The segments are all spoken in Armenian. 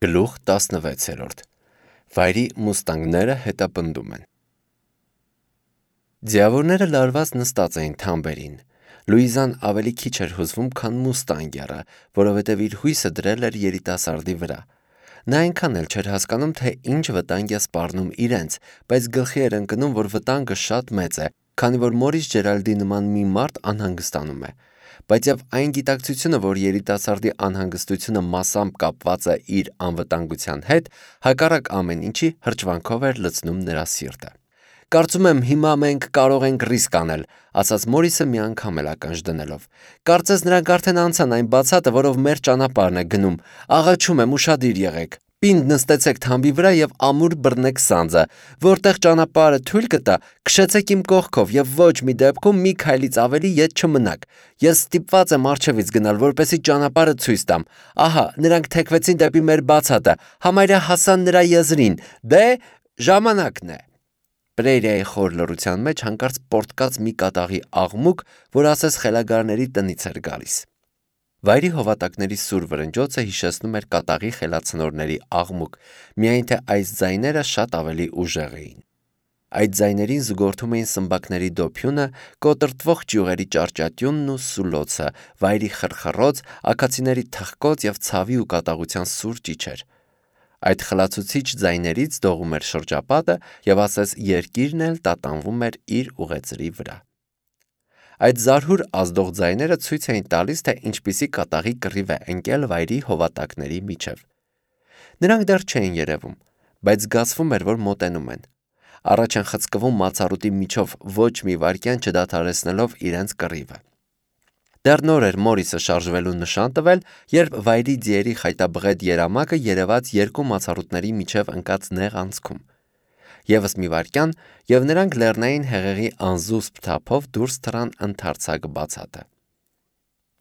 Գլուխ 16 Վայրի մուստանգները հետապնդում են։ Ձիավորները լարված նստած էին թամբերին։ Լուիզան ավելի քիչ էր հուզվում, քան մուստանգերը, որովհետև իր հույսը դրել էր երիտասարդի վրա։ Նա այնքան էլ չէր հասկանում, թե ինչ վտանգ է սպառնում իրենց, բայց գլխի էր ընկնում, որ վտանգը շատ մեծ է, քանի որ Մորիս Ջերալդի նման մի մարդ անհանգստանում է։ Բայց եւ այն գիտակցությունը, որ երիտասարդի անհանգստությունը մասամբ կապված է իր անվտանգության հետ, հակառակ ամեն ինչի հրճվանքով էր լցնում նրա սիրտը։ Կարծում եմ հիմա մենք կարող ենք ռիսկ անել, ասաց Մորիսը մի անգամ էլ ականջ դնելով։ Կարծես նրանք արդեն անցան այն բացատը, որով մեր ճանապարհն է գնում։ Աղաչում եմ, ուշադիր եղեք։ Պինդ նստեցեք թամբի վրա եւ ամուր բռնեք սանձը, որտեղ ճանապարհը թույլ կտա, քշեցեք իմ կողքով եւ ոչ մի դեպքում մի քայլից ավելի ետ չմնաք։ Ես ստիպված եմ առջևից գնալ, որպեսզի ճանապարհը ցույց տամ։ Ահա, նրանք թեքվեցին դեպի մեր բացատը, համարյա հասան նրա եզրին։ Դե, ժամանակն է։ Պրերիայի խոր լռության մեջ հանկարծ պորտկաց մի կատաղի աղմուկ, որ ասես խելագարների տնից էր գալիս։ Վայրի հովատակների սուր վրնջոցը հիշեցնում էր կատաղի խելացնորների աղմուկ, միայն թե այս ձայները շատ ավելի ուժեղ էին։ Այդ ձայներին զուգորդում էին սմբակների դոփյունը, կոտրտվող ճյուղերի ճարճատյունն ու սուլոցը, վայրի խրխռոց, աքացիների թխկոց եւ ցավի ու կատաղության սուր ճիչեր։ Այդ խլացուցիչ ձայներից դողում էր շրջապատը եւ ասես երկիրն էլ տատանվում էր իր ուղեծրի վրա։ Այդ զարհուր ազդող ձայները ցույց էին տալիս, թե ինչպիսի կատաղի կռիվ է ընկել վայրի հովատակների միջև։ Նրանք դեռ չէին երևում, բայց զգացվում էր, որ մոտենում են։ Առաջ են խցկվում մացառուտի միջով ոչ մի վայրկյան չդադարեցնելով իրենց կռիվը։ Դեռ նոր էր Մորիսը շարժվելու նշան տվել, երբ վայրի ձիերի խայտաբղետ երամակը երևաց երկու մացառուտների միջև ընկած նեղ անցքում։ Եվս մի վայրկյան, եւ նրանք լեռնային հեղեղի անզուսպ թափով դուրս թռան ընդարձակ բացատը։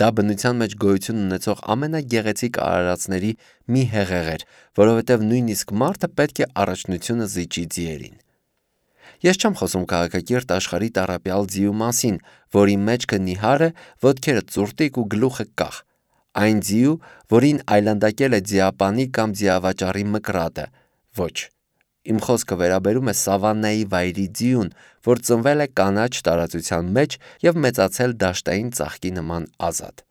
Դա բնության մեջ գոյություն ունեցող ամենագեղեցիկ արարածների մի հեղեղ էր, որովհետև նույնիսկ մարդը պետք է առաջնությունը զիջի ձիերին։ Ես չեմ խոսում քաղաքակիրթ աշխարհի տառապյալ ձիու մասին, որի մեջքը նիհար է, ոտքերը ծուրտիկ ու գլուխը կախ։ Այն ձիու, որին այլանդակել է ձիապանի կամ ձիավաճառի մկրատը։ Ոչ։ Իմ խոսքը վերաբերում է սավաննայի վայրի ձիուն, որ ծնվել է կանաչ տարածության մեջ եւ մեծացել դաշտային ծաղկի նման ազատ։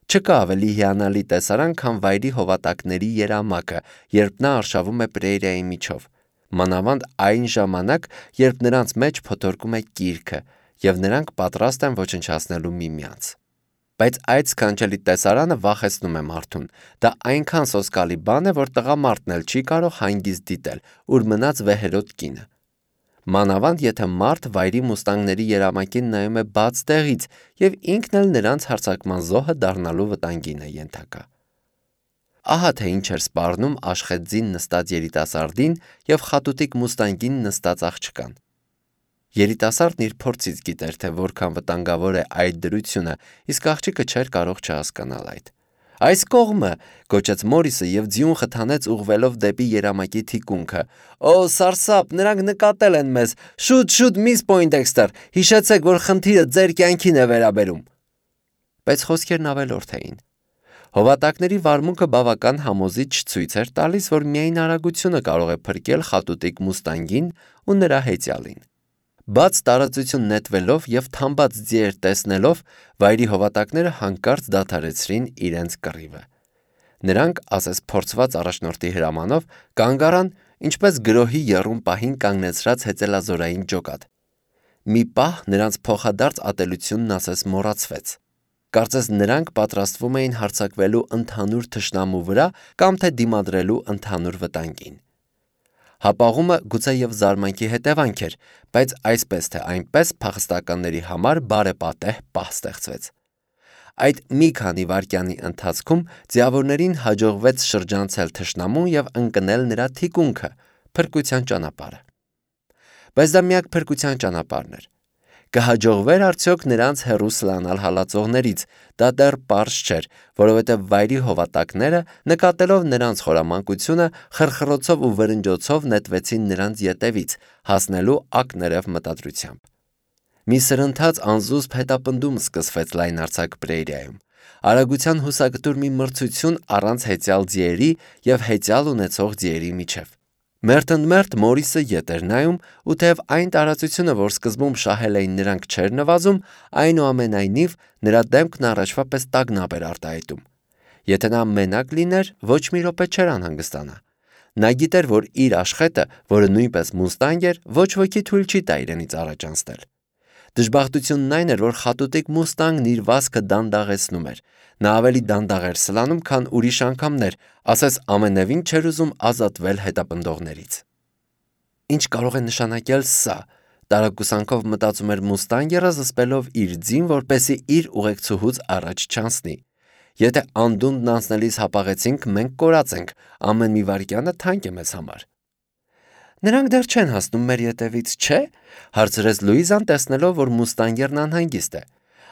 Չկա ավելի հիանալի տեսարան, քան վայրի հովատակների երամակը, երբ նա արշավում է պրերիայի միջով։ Մանավանդ այն ժամանակ, երբ նրանց մեջ փոթորկում է կիրքը, եւ նրանք պատրաստ են ոչնչացնելու միմյանց։ Բայց այդ սքանչելի տեսարանը վախեցնում է մարդուն։ Դա այնքան սոսկալի բան է, որ տղամարդն էլ չի կարող հանգիստ դիտել, ուր մնաց վեհերոտ կինը։ Մանավանդ եթե մարդ վայրի մուստանգների երամակին նայում է բաց տեղից եւ ինքն էլ նրանց հարձակման զոհը դառնալու վտանգին է ենթակա։ Ահա թե ինչ էր սպառնում աշխեծին նստած երիտասարդին եւ խատուտիկ մուստանգին նստած աղջկան։ Երիտասարդն իր փորձից գիտեր, թե որքան վտանգավոր է այդ դրությունը, իսկ աղջիկը չէր կարող չհասկանալ այդ։ Այս կողմը, գոչեց Մորիսը եւ ձիուն խթանեց ուղղվելով դեպի երամակի թիկունքը։ Օ, սարսափ, նրանք նկատել են մեզ։ Շուտ, միս Պոյնդեքստեր, հիշեցեք, որ խնդիրը ձեր կյանքին է վերաբերում։ Բայց խոսքերն ավելորդ էին։ Հովատակների վարմունքը բավական համոզիչ ցույց էր տալիս, որ միայն արագությունը կարող է փրկել խատուտիկ մուստանգին ու նրա հեծյալին։ Բաց տարածություն նետվելով եւ թամբած ձիեր տեսնելով, վայրի հովատակները հանկարծ դադարեցրին իրենց կռիվը։ Նրանք, ասես փորձված առաջնորդի հրամանով, կանգ առան, ինչպես գրոհի եռում պահին կանգնեցրած հեծելազորային ջոկատ։ Մի պահ նրանց փոխադարձ ատելությունն ասես մոռացվեց։ Կարծես նրանք պատրաստվում էին հարձակվելու ընդհանուր թշնամու վրա կամ թե դիմադրելու ընդհանուր վտանգին։ Հապաղումը գուցե եւ զարմանքի հետևանք էր, բայց այսպես թե այնպես փախստականների համար բարեպատեհ պահ ստեղծվեց։ Այդ մի քանի վայրկյանի ընթացքում ձիավորներին հաջողվեց շրջանցել թշնամուն եւ ընկնել նրա թիկունքը, փրկության ճանապարհը։ Բայց դա միակ փրկության ճանապարհն էր։ Կհաջողվեր արդյոք նրանց հեռու սլանալ հալածողներից, դա դեռ պարզ չէր, որովհետև վայրի հովատակները, նկատելով նրանց խորամանկությունը, խրխռոցով ու վրնջոցով նետվեցին նրանց ետևից, հասնելու ակներև մտադրությամբ։ Մի սրընթաց անզուսպ հետապնդում սկսվեց լայնարձակ պրերիայում։ Արագության հուսակտուր մի մրցություն առանց հեծյալ ձիերի եւ հեծյալ ունեցող ձիերի միջև։ Մերթընդմերթ Մորիսը ետ էր նայում, ու թեև այն տարածությունը, որ սկզբում շահել էին նրանք, չէր նվազում, այնուամենայնիվ նրա դեմքն առաջվա պես տագնապ էր արտահայտում։ Եթե նա մենակ լիներ, ոչ մի րոպե չէր անհանգստանա։ Նա գիտեր, որ իր աշխատը, որը նույնպես մուստանգ էր, ոչ ոքի թույլ չի տա իրենից առաջ անցնել։ Դժբախտությունն այն էր, որ խատուտիկ մուստանգն իր վազքը դանդաղեցնում էր։ Նա ավելի դանդաղ էր սլանում, քան ուրիշ անգամներ, ասես ամենևին չէր ուզում ազատվել հետապնդողներից։ Ինչ կարող է նշանակել սա, տարակուսանքով մտածում էր մուստանգերը, զսպելով իր ձին, որպեսզի իր ուղեկցուհուց առաջ չանցնի։ Եթե անդունդն անցնելիս հապաղեցինք, մենք կորած ենք, ամեն մի վայրկյանը թանկ է մեզ համար։ Նրանք դեռ չեն հասնում մեր ետևից, չէ՞, հարցրեց Լուիզան, տեսնելով, որ մուստանգերն անհանգիստ է։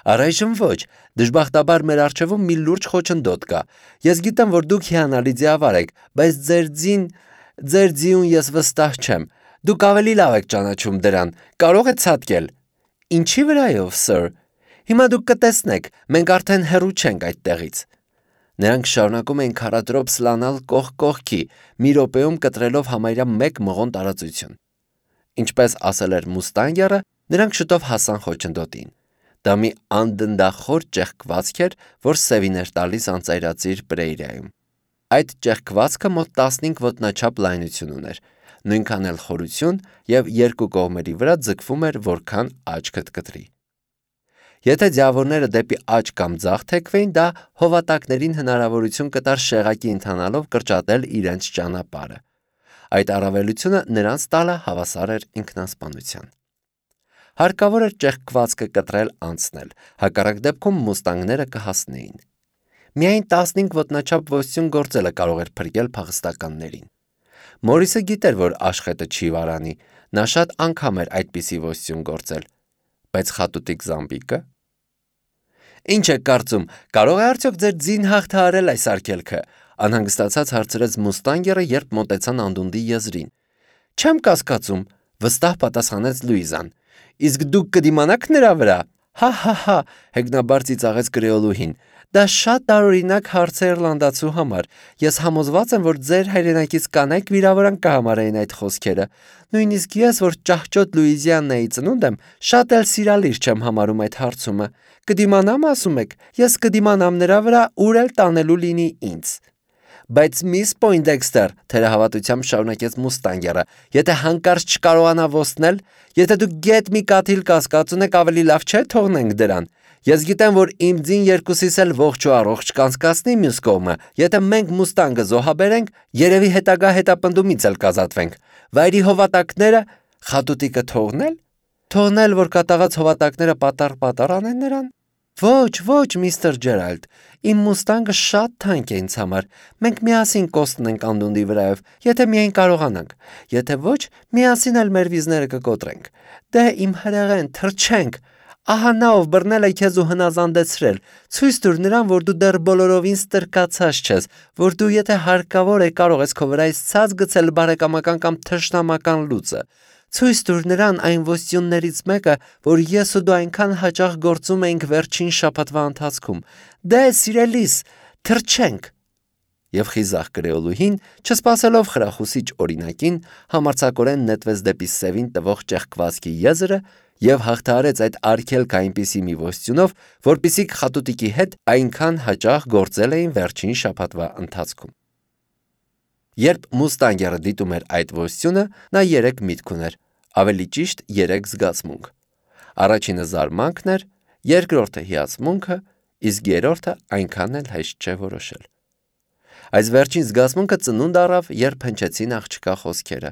Առայժմ ոչ, դժբախտաբար մեր առջևում մի լուրջ խոչընդոտ կա։ Ես գիտեմ, որ դուք հիանալի ձիավար եք, բայց ձեր ձիուն ես վստահ չեմ։ Դուք ավելի լավ եք ճանաչում դրան, կարող է ցատկել։ Ինչի վրայով, սըր։ Հիմա դուք կտեսնեք, մենք արդեն հեռու չենք այդտեղից։ Նրանք շարունակում էին քարադրոպ սլանալ կողք կողքի, մի րոպեում կտրելով համարյա 1 մղոն տարածություն։ Ինչպես ասել էր մուստանգերը, նրանք շուտով հասան խոչընդոտին։ Դա մի անդնդախոր ճեղքվածք էր, որ սևին էր տալիս անծայրածիր պրեյրիայում։ Այդ ճեղքվածքը մոտ 15 ոտնաչափ լայնություն ուներ, նույնքան էլ խորություն եւ երկու կողմերի վրա ձգվում էր, որքան աչքդ կտրի։ Եթե ձիավորները դեպի աջ կամ ձախ թեքվեին, դա հովատակներին հնարավորություն կտար շեղակի ընթանալով կրճատել իրենց ճանապարհը։ Այդ առավելությունը նրանց տալը հավասար էր ինքնասպանության։ Հարկավոր էր ճեղքվածքը կտրել անցնել, հակառակ դեպքում մուստանգները կհասնեին։ Միայն 15 ոտնաչափ ոստյուն գործելը կարող էր փրկել փախստականներին։ Մորիսը գիտեր, որ աշխատը չի վարանի, նա շատ անգամ էր այդպիսի ոստյուն գործել, բայց խատուտիկ զամբիկը։ Ինչ եք կարծում, կարող է արդյոք ձեր ձին հաղթահարել այս արգելքը, անհանգստացած հարցրեց մուստանգերը, երբ մոտեցան անդունդի եզրին։ Չեմ կասկածում, վստահ պատասխանեց Լուիզան։ Իսկ դուք կդիմանաք նրա վրա։ Հա, հեգնաբար ծիծաղեց կրեոլուհին։ Դա շատ տարօրինակ հարց է իռլանդացու համար։ Ես համոզված եմ, որ ձեր հայրենակից կանայք վիրավորանք կհամարեին այդ խոսքերը։ Նույնիսկ ես, որ ճահճոտ Լուիզիանայի ծնունդ եմ, շատ էլ սիրալիր չեմ համարում այդ հարցումը։ Կդիմանամ, ասում եք, ես կդիմանամ նրա վրա, ուր էլ տանելու լինի ինձ։ Բայց միս Պոյնդեքստեր, թերահավատությամբ շարունակեց մուստանգերը, եթե հանկարծ չկարողանա ոստնել, եթե դուք գետ մի կաթիլ կասկած ունեք, ավելի լավ չէ թողնենք դրան։ Ես գիտեմ, որ իմ ձին երկուսիս էլ ողջ ու առողջ կանցկացնի մյուս կողմը, եթե մենք մուստանգը զոհաբերենք, երևի հետագա հետապնդումից էլ կազատվենք։ Վայրի հովատակները խատուտիկը թողնել, որ կատաղած հովատակները պատառ անեն նրան։ Ոչ, միստր Ջերալդ, իմ մուստանգը շատ թանկ է ինձ համար, մենք միասին կոստնենք անդունդի վրայով, եթե միայն կարողանանք, եթե ոչ, միասին էլ մեր վիզները կկոտրենք, դե իմ հրեղեն, թռչենք, ահա նա ով բռնել է քեզ ու հնազանդեցրել, ցույց տուր նրան, որ դու դեռ բոլորովին ստրկացած չես, որ դու եթե հարկավոր է կարող ես քո վրայից ցած գցել բարեկամական կամ թշնամական լուծը, ցույց տուր նրան այն ոստյուններից մեկը, որ ես ու դու այնքան հաճախ գործում էինք վերջին շաբաթվա ընթացքում, դե սիրելիս, թռչենք։ Եվ խիզախ կրեոլուհին, չսպասելով խրախուսիչ օրինակին, համարձակորեն նետվեց դեպի սևին տվող ճեղքվածքի եզրը եւ հաղթահարեց այդ արգելքը այնպիսի մի ոստյունով, որպիսի խատուտիկի հետ այնքան հաճախ գործել էին վերջին շաբաթվա ընթացքում։ Երբ մուստանգերը դիտում էր այդ ոստյունը, նա 3 միտք ուներ, ավելի ճիշտ 3 զգացմունք։ Առաջինը զարմանքն էր, երկրորդը հիացմունքը, իսկ երրորդը այնքան էլ հեշտ չէ որոշել։ Այս վերջին զգացմունքը ծնունդ առավ, երբ հնչեցին աղջկա խոսքերը։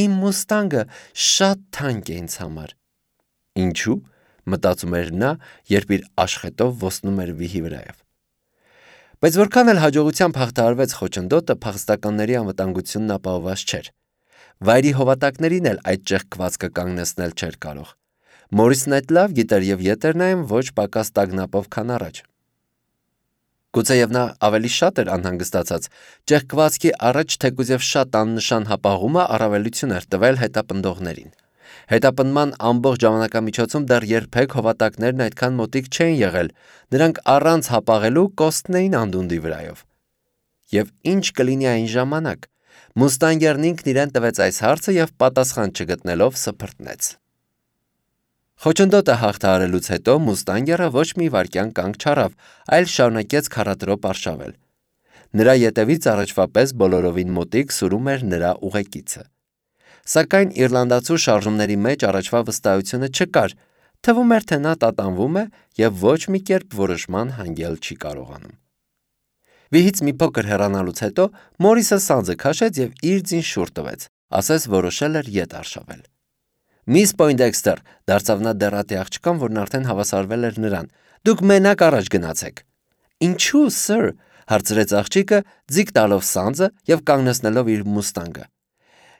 Իմ մուստանգը շատ թանկ է ինձ համար։ Ինչու՞, մտածում էր նա, երբ իր աշխատով ոսնում էր վիհի վրայով։ Բայց որքան էլ հաջողությամբ հաղթահարվեց խոչընդոտը, փախստականների անվտանգությունն ապահովված չէր։ Վայրի հովատակներին էլ այդ ճեղքվածքը կանգնեցնել չէր կարող։ Մորիսն այդ լավ գիտեր եւ ետ էր նայում ոչ պակաս տագնապով, քան առաջ։ Գուցեև նա ավելի շատ էր անհանգստացած, ճեղքվածքի առաջ թեկուզև շատ աննշան հապաղումը առավելություն էր տվել հետապնդողներին։ Հետապնդման ամբողջ ժամանակամիջոցում դեռ երբեք հովատակներն այդքան մոտիկ չէին եղել, նրանք առանց հապաղելու կոստնեին անդունդի վրայով։ Եվ ինչ կլինի այն ժամանակ։ Մուստանգերն ինքն իրեն տվեց այս հարցը եւ պատասխան չգտնելով սփռտնեց։ Խոչընդոտը հաղթահարելուց հետո Մուստանգերը ոչ մի վայրկյան կանգ չառավ, այլ շարունակեց քառատրոպ արշավել։ Նրա ետևից առաջվա պես բոլորովին մոտիկ սուրում էր նրա ուղեկիցը։ Սակայն իռլանդացու շարժումների մեջ առաջվա վստահությունը չկար, թվում էր, թե նա տատանվում է եւ ոչ մի կերպ որոշման հանգել չի կարողանում։ Վիհից մի փոքր հեռանալուց հետո Մորիսը սանձը քաշեց եւ իր ձին շուռ տվեց, ասես որոշել էր ետ արշավել։ Միս Պոյնդեքստեր, դարձավ նա դեռատի աղջկան, որն արդեն հավասարվել էր նրան, դուք մենակ առաջ գնացեք։ Ինչու, սըր, հարցրեց աղջիկը, ձիգ տալով սանձը եւ կանգնեցնելով իր մուստանգը։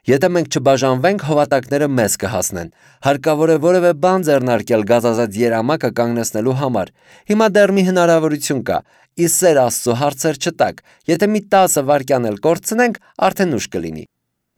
Եթե մենք չբաժանվենք, հովատակները մեզ կհասնեն։ Հարկավոր է որևէ բան ձեռնարկել գազազած երամակը կանգնեցնելու համար։ Հիմա դեռ մի հնարավորություն կա։ Ի սեր Աստծո հարցեր չտակ։ Եթե մի 10 վայրկյան էլ կորցնենք, արդեն ուշ կլինի։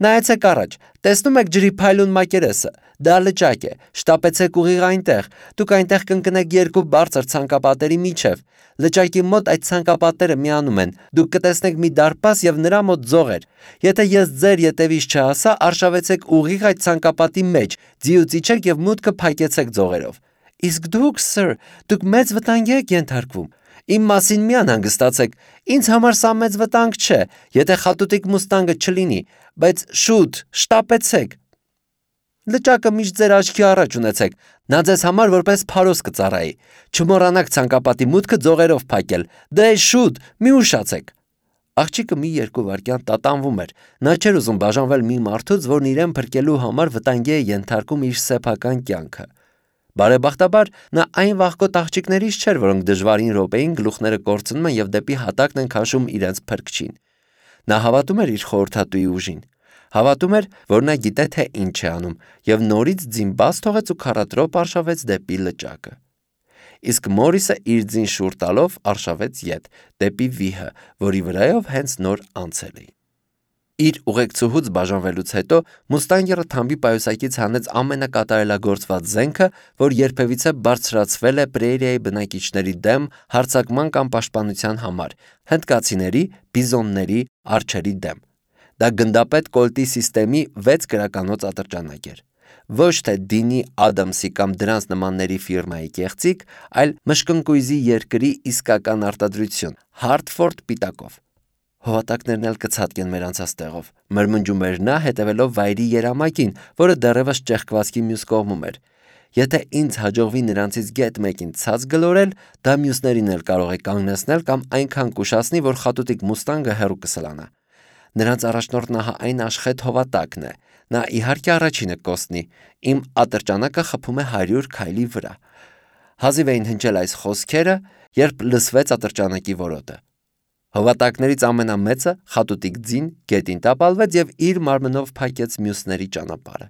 Նայեցեք առաջ, տեսնում եք ջրի փայլուն մակերեսը։ Դա լճակ է։ Շտապեցեք ուղիղ այնտեղ։ Դուք այնտեղ կընկնեք երկու բարձր ցանկապատերի միջև։ Լճակի մոտ այդ ցանկապատերը միանում են։ Դուք կտեսնեք մի դարպաս եւ նրա մոտ ձողեր։ Եթե ես ձեր ետևից չհասա, արշավեցեք ուղիղ այդ ցանկապատի մեջ, ձիուց իջեք եւ մուտքը փակեցեք ձողերով։ Իսկ դուք, սըր, դուք մեծ վտանգի եք ենթարկվում։ Իմ մասին մի անհանգստացեք, ինձ համար սա մեծ վտանգ չէ, եթե խատուտիկ մուստանգը չլինի, բայց շուտ, շտապեցեք։ Լճակը միշտ ձեր աչքի առաջ ունեցեք, նա ձեզ համար որպես փարոս կծառայի։ Չմոռանաք ցանկապատի մուտքը ձողերով փակել, դե շուտ, մի ուշացեք։ Աղջիկը մի երկու վայրկյան տատանվում էր, նա չէր ուզում բաժանվել մի մարդուց, որն իրեն փրկելու համար վտանգի է ենթարկում իր սեփական կյանքը։ Բարեբախտաբար նա այն վախկոտ աղջիկներից չէր, որոնք դժվարին րոպեին գլուխները կորցնում են եւ դեպի հատակն են քաշում իրենց փրկչին։ Նա հավատում էր իր խորհրդատուի ուժին։ Հավատում էր, որ նա գիտե թե ինչ է անում, եւ նորից ձին բաց թողեց ու քառատրոպ արշավեց դեպի լճակը։ Իսկ Մորիսը իր ձին շուռ տալով արշավեց ետ, դեպի վիհը, որի վրայով հենց նոր անցել էին։ Իր ուղեկցուհուց բաժանվելուց հետո Մուստանգերը թամբի պայուսակից հանեց ամենակատարելագործված զենքը, որ երբևիցե բարձրացվել է պրերիայի բնակիչների դեմ հարձակման կամ պաշտպանության համար, հնդկացիների, բիզոնների, արջերի դեմ։ Դա գնդապետ կոլտի սիստեմի 6 գրականոց ատրճանակ էր։ Ոչ թե Դինի Ադամսի կամ դրանց նմանների ֆիրմայի կեղծիք, այլ մշկնկույզի երկրի իսկական արտադրություն, Հարթֆորդ պիտակով։ Հովատակներն էլ կցատկեն մեր անցած տեղով, մրմնջում էր նա, հետևելով վայրի երամակին, որը դեռևս ճեղքվածքի մյուս կողմում էր։ Եթե ինձ հաջողվի նրանցից գետ մեկին ցած գլորել, դա մյուսներին էլ կարող է կանգնեցնել կամ այնքան կուշացնի, որ խատուտիկ մուստանգը հեռու կսլանա։ Նրանց առաջնորդն ահա այն աշխեհ հովատակն է։ Նա իհարկե առաջինը կոստնի։ Իմ ատրճանակը խփում է 100 քայլի վրա։ Հազիվ էին հնչել այս խոսքերը, երբ լսվեց ատրճանակի որոտը։ Հովատակներից ամենամեծը խատուտիկ ձին գետին տապալվեց եւ իր մարմնով փակեց մյուսների ճանապարհը։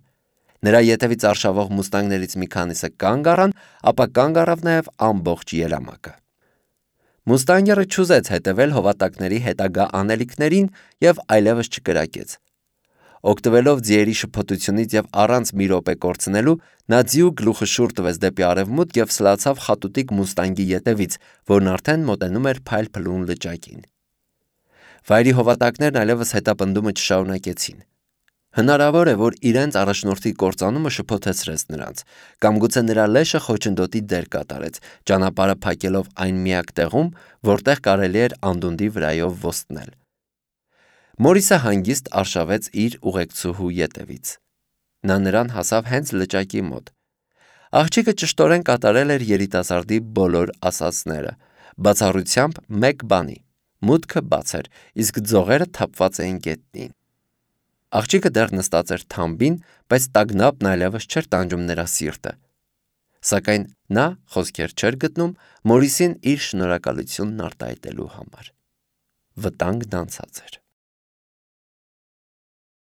Նրա ետևից արշավող մուստանգներից մի քանիսը կանգ առան, ապա կանգ առավ նաեւ ամբողջ երամակը։ Մուստանգերը չուզեց հետևել հովատակների հետագա անելիքներին եւ այլևս չկրակեց։ Օգտվելով ձիերի շփոթությունից եւ առանց մի րոպե կորցնելու, նա ձիու գլուխը շուռ տվեց դեպի արևմուտք եւ սլացավ խատուտիկ մուստանգի ետևից, որն արդեն մոտենում էր փայլփլուն լճակին։ Վայրի հովատակներն այլևս հետապնդումը չշարունակեցին։ Հնարավոր է, որ իրենց առաջնորդի կործանումը շփոթեցրեց նրանց, կամ գուցե նրա լեշը խոչընդոտի դեր կատարեց, ճանապարհը փակելով այն միակ տեղում, որտեղ կարելի էր անդունդի վրայով ոստնել։ Մորիսը հանգիստ արշավեց իր ուղեկցուհու ետևից։ Նա նրան հասավ հենց լճակի մոտ։ Աղջիկը ճշտորեն կատարել էր երիտասարդի բոլոր ասածները, բացառությամբ մեկ բանի։ Մուտքը բաց էր, իսկ ձողերը թափված էին գետնին։ Աղջիկը դեռ նստած էր թամբին, բայց տագնապն այլևս չէր տանջում նրա սիրտը։ Սակայն նա խոսքեր չէր գտնում Մորիսին իր շնորհակալությունն արտահայտելու համար։ Վտանգն անցած էր։